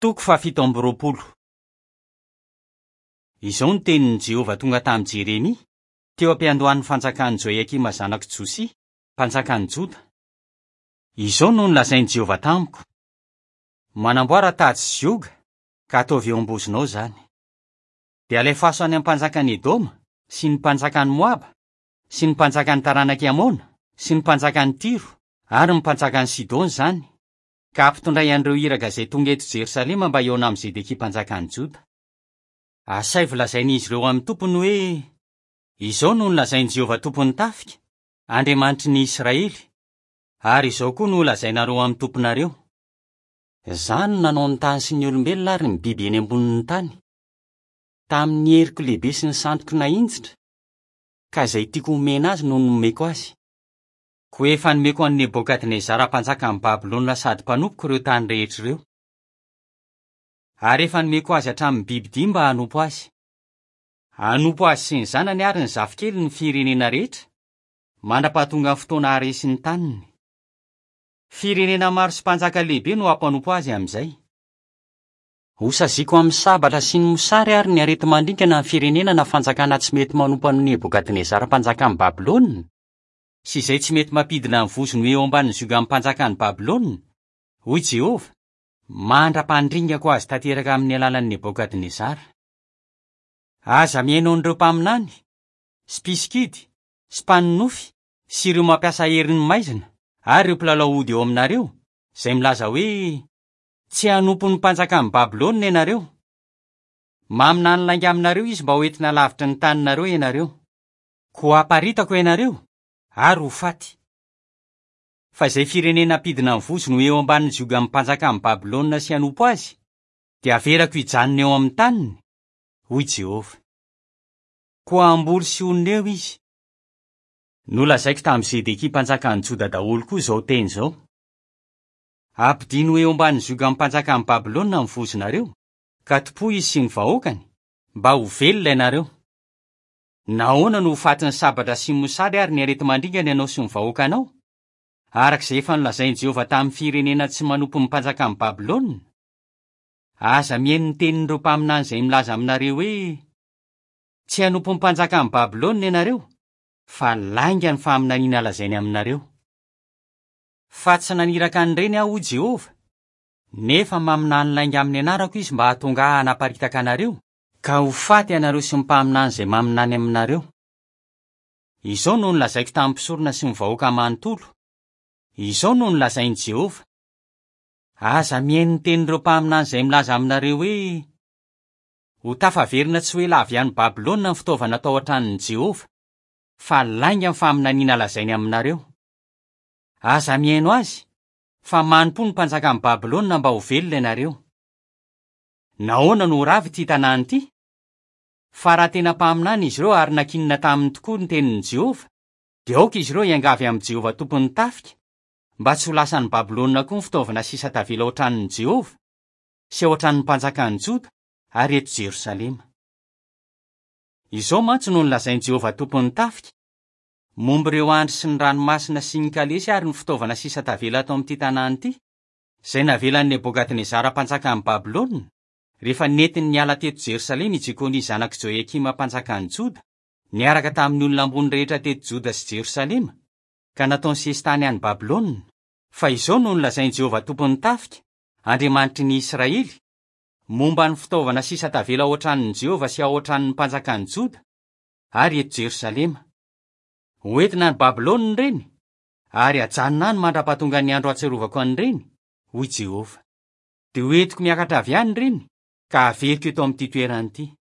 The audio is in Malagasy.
Toko fahafito amby roapolo. Izao no tenin'i Jehovah tonga tamin'i Jeremia, teo am-piandohan'ny fanjakan'i Joiakima zanak'i Josia, mpanjakan'i Joda. Izao no nolazain'i Jehovah tamiko, Manamboara tady sy zioga, ka ataovy eo am-bozonao izany. Dia alefaso any amin'ny mpanjakan'i Edoma, sy ny mpanjakan'i Moaba, sy ny mpanjakan'ny taranak'i Amona, sy ny mpanjakan'i Tyro, ary ny mpanjakan'i Sidona izany, ka hampitondray an'ireo iraka izay tonga eto Jerosalema mba hihaona amin'i Zedekia mpanjakan'i Joda. Asaivo lazain'izy ireo amin'ny tompony hoe, 'Izao no nolazain'i Jehovah Tompon'ny tafika, Andriamanitry ny Israely, ary izao koa no holazainareo amin'ny tomponareo, Izaho no nanao ny tany sy ny olombelona ary ny biby eny ambonin'ny tany, tamin'ny heriko lehibe sy ny sandriko nahinjitra, ka izay tiako homena azy no nomeko azy. Koa efa nomeko an'i Nebokadnezara mpanjakan'i Babylona sady mpanompoko ireo tany rehetra ireo. Ary efa nomeko azy hatramin'ny bibidia mba hanompo azy. Hanompo azy sy ny zanany ary ny zafikeliny ny firenena rehetra, mandra-pahatonga ny fotoana haharesy ny taniny. Firenena maro sy mpanjaka lehibe no hampanompo azy amin'izay. Hosaziako amin'ny sabatra sy ny mosary ary ny areti-mandringana ny firenena na fanjakana tsy mety manompo an'i Nebokadnezara mpanjakan'i Babylona, sy izay tsy mety mampidina ny vozony ho eo ambanin'ny ziogan'ny mpanjakan'i Babylona, hoy Jehovah, mandra-pandringako azy tanteraka amin'ny alalan'i Nebokadnezara. Aza mihaino an'ireo mpaminany, sy mpisikidy, sy mpanonofy, sy ireo mampiasa herin'ny maizina, ary ireo mpilalao ody eo aminareo, izay milaza hoe, 'Tsy hanompo ny mpanjakan'i Babylona ianareo. Maminany lainga aminareo izy mba hoentina lavitry ny taninareo ianareo. Koa haparitako ianareo, ary ho faty. Fa izay firenena hampidina ny vozony ho eo ambanin'ny ziogan'ny mpanjakan'i Babylona sy hanompo azy, dia haverako hijanona eo amin'ny taniny, hoy Jehovah. Koa hamboly sy honina eo izy. Nolazaiko tamin'i Zedekia mpanjakan'i Joda daholo koa izao teny izao, Ampidino ho eo ambanin'ny ziogan'ny mpanjakan'i Babylona ny vozonareo, ka tompoy izy sy ny vahoakany, mba ho velona ianareo. Nahoana no ho fatin'ny sabatra sy ny mosary ary ny areti-mandringana ianao sy ny vahoakanao, araka izay efa nolazain'i Jehovah tamin'ny firenena tsy manompo ny mpanjakan'i Babylona? Aza mihaino ny tenin'ireo mpaminany izay milaza aminareo hoe, 'Tsy hanompo ny mpanjakan'i Babylona ianareo', fa lainga ny faminaniana lazainy aminareo. Fa tsy naniraka an'ireny aho, hoy Jehovah, nefa maminany lainga amin'ny anarako izy mba hahatonga ahy hanaparitaka anareo, Ka ho faty ianareo sy ny mpaminany izay maminany aminareo. Izao no nolazaiko tamin'ny mpisorona sy ny vahoaka manontolo, Izao no nolazain'i Jehovah, Aza mihaino ny tenin'ireo mpaminany izay milaza aminareo hoe, 'Ho tafaverina tsy ho ela avy any Babylona ny fitaovana tao an-tranon'i Jehovah', fa lainga ny faminaniana lazainy aminareo. Aza mihaino azy, fa manompoa ny mpanjakan'i Babylona mba ho velona ianareo. Nahoana no ho rava ity tanàna ity? Fa raha tena mpaminany izy ireo ary nankinina taminy tokoa ny tenin'i Jehovah, dia aoka izy ireo hiangavy amin'i Jehovah Tompon'ny tafika, mba tsy ho lasan'i Babylona koa ny fitaovana sisa tavela ao an-tranon'i Jehovah, sy ao an-tranon'ny mpanjakan'i Joda, ary eto Jerosalema. Izao mantsy no nolazain'i Jehovah Tompon'ny tafika, momba ireo andry sy ny ranomasina sy ny kalesy ary ny fitaovana sisa tavela ato amin'ity tanàna ity, izay navelan'i Nebokadnezara mpanjakan'i Babylona, rehefa nentiny niala teto Jerosalema i Jekonia zanak'i Joiakima mpanjakan'i Joda, niaraka tamin'ny olona ambony rehetra teto Joda sy Jerosalema, ka nataony sesitany any Babylona. Fa izao no nolazain'i Jehovah Tompon'ny tafika, Andriamanitry ny Israely, momba ny fitaovana sisa tavela ao an-tranon'i Jehovah sy ao an-tranon'ny mpanjakan'i Joda ary eto Jerosalema, Hoentina any Babylona ireny, Ary hajanona any mandra-pahatongan'ny andro hahatsiarovako an'ireny, hoy Jehovah. Dia hoentiko miakatra avy any ireny, ka haveriko eto amin'ity toerana ity.